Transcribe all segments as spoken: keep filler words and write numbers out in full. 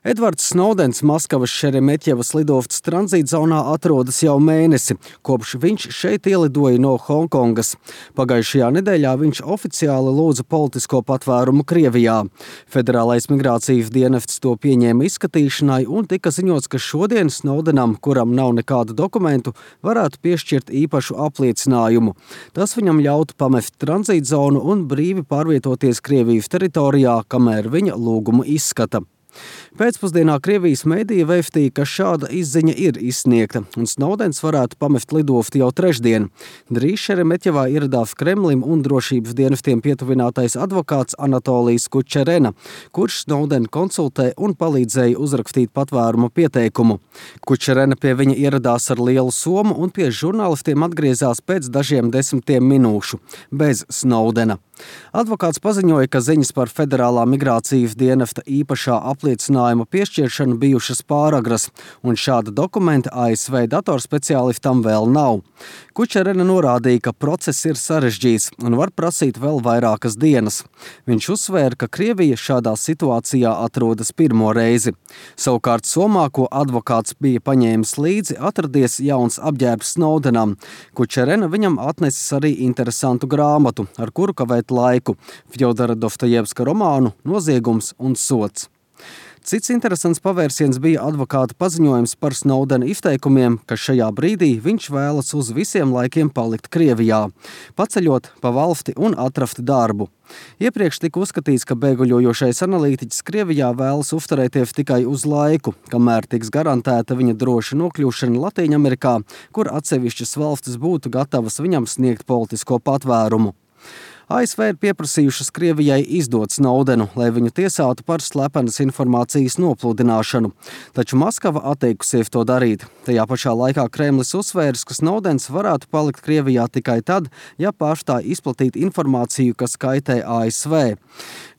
Edvards Snowdens Maskavas Šeremetjevas lidostas tranzītzonā atrodas jau mēnesi, kopš viņš šeit ielidoja no Hongkongas. Pagājušajā nedēļā viņš oficiāli lūdza politisko patvērumu Krievijā. Federālais migrācijas dienests to pieņēma izskatīšanai un tika ziņots, ka šodien Snowdenam, kuram nav nekādu dokumentu, varētu piešķirt īpašu apliecinājumu. Tas viņam ļautu pamest tranzītzonu un brīvi pārvietoties Krievijas teritorijā, kamēr viņa lūgumu izskata. Pēcpusdienā Krievijas mediji vēstīja, ka šāda izziņa ir izsniegta, un Snowdens varētu pamest lidostu jau trešdien. Drīz Šeremetjevā ieradās Kremlim un drošības dienestiem pietuvinātais advokāts Anatolijs Kučerena, kurš Snowdenu konsultē un palīdzēja uzrakstīt patvērumu pieteikumu. Kučerena pie viņa ieradās ar lielu somu un pie žurnālistiem atgriezās pēc dažiem desmitiem minūšu, bez Snowdena. Advokāts paziņoja, ka ziņas par Federālā migrācijas dienesta īpašā apliecinājuma piešķiršanu bijušas pāragras, un šāda dokumenta A S V datorspeciālistam vēl nav. Kučerena norādīja, ka process ir sarežģīts un var prasīt vēl vairākas dienas. Viņš uzsvēra, ka Krievija šādā situācijā atrodas pirmo reizi. Savukārt Somā, ko advokāts bija paņēmis līdzi, atradies jauns apģērbs Snowdenam. Kučerena viņam atnesis arī interesantu grāmatu, ar kuru kavēt laiku – Fjodora Dostojevska romānu Noziegums un sods. Cits interesants pavērsiens bija advokāta paziņojums par Snowdena izteikumiem, ka šajā brīdī viņš vēlas uz visiem laikiem palikt Krievijā, paceļot pa valsti un atrast darbu. Iepriekš tika uzskatīts, ka bēguļojošais analītiķis Krievijā vēlas uzturēties tikai uz laiku, kamēr tiks garantēta viņa droša nokļūšana Latīņamerikā, kur atsevišķas valstis būtu gatavas viņam sniegt politisko patvērumu. A S V ir pieprasījušas Krievijai izdot Snowdenu, lai viņu tiesātu par slepenas informācijas nopludināšanu, taču Maskava atteikusies to darīt. Tajā pašā laikā Kremlis uzsvērs, ka Snowdens varētu palikt Krievijā tikai tad, ja pārstāj izplatīt informāciju, kas kaitē A S V.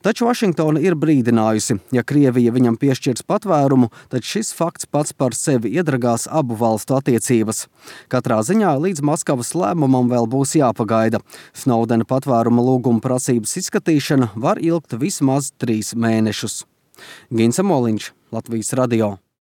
Taču Vašingtona ir brīdinājusi, ja Krievija viņam piešķirs patvērumu, tad šis fakts pats par sevi iedragās abu valstu attiecības. Katrā ziņā līdz Maskavas lēmumam vēl būs jāpagaida. Snowdena patvēruma lūguma prasības izskatīšana var ilgt vismaz trīs mēnešus. Ginsa Moliņš, Latvijas radio.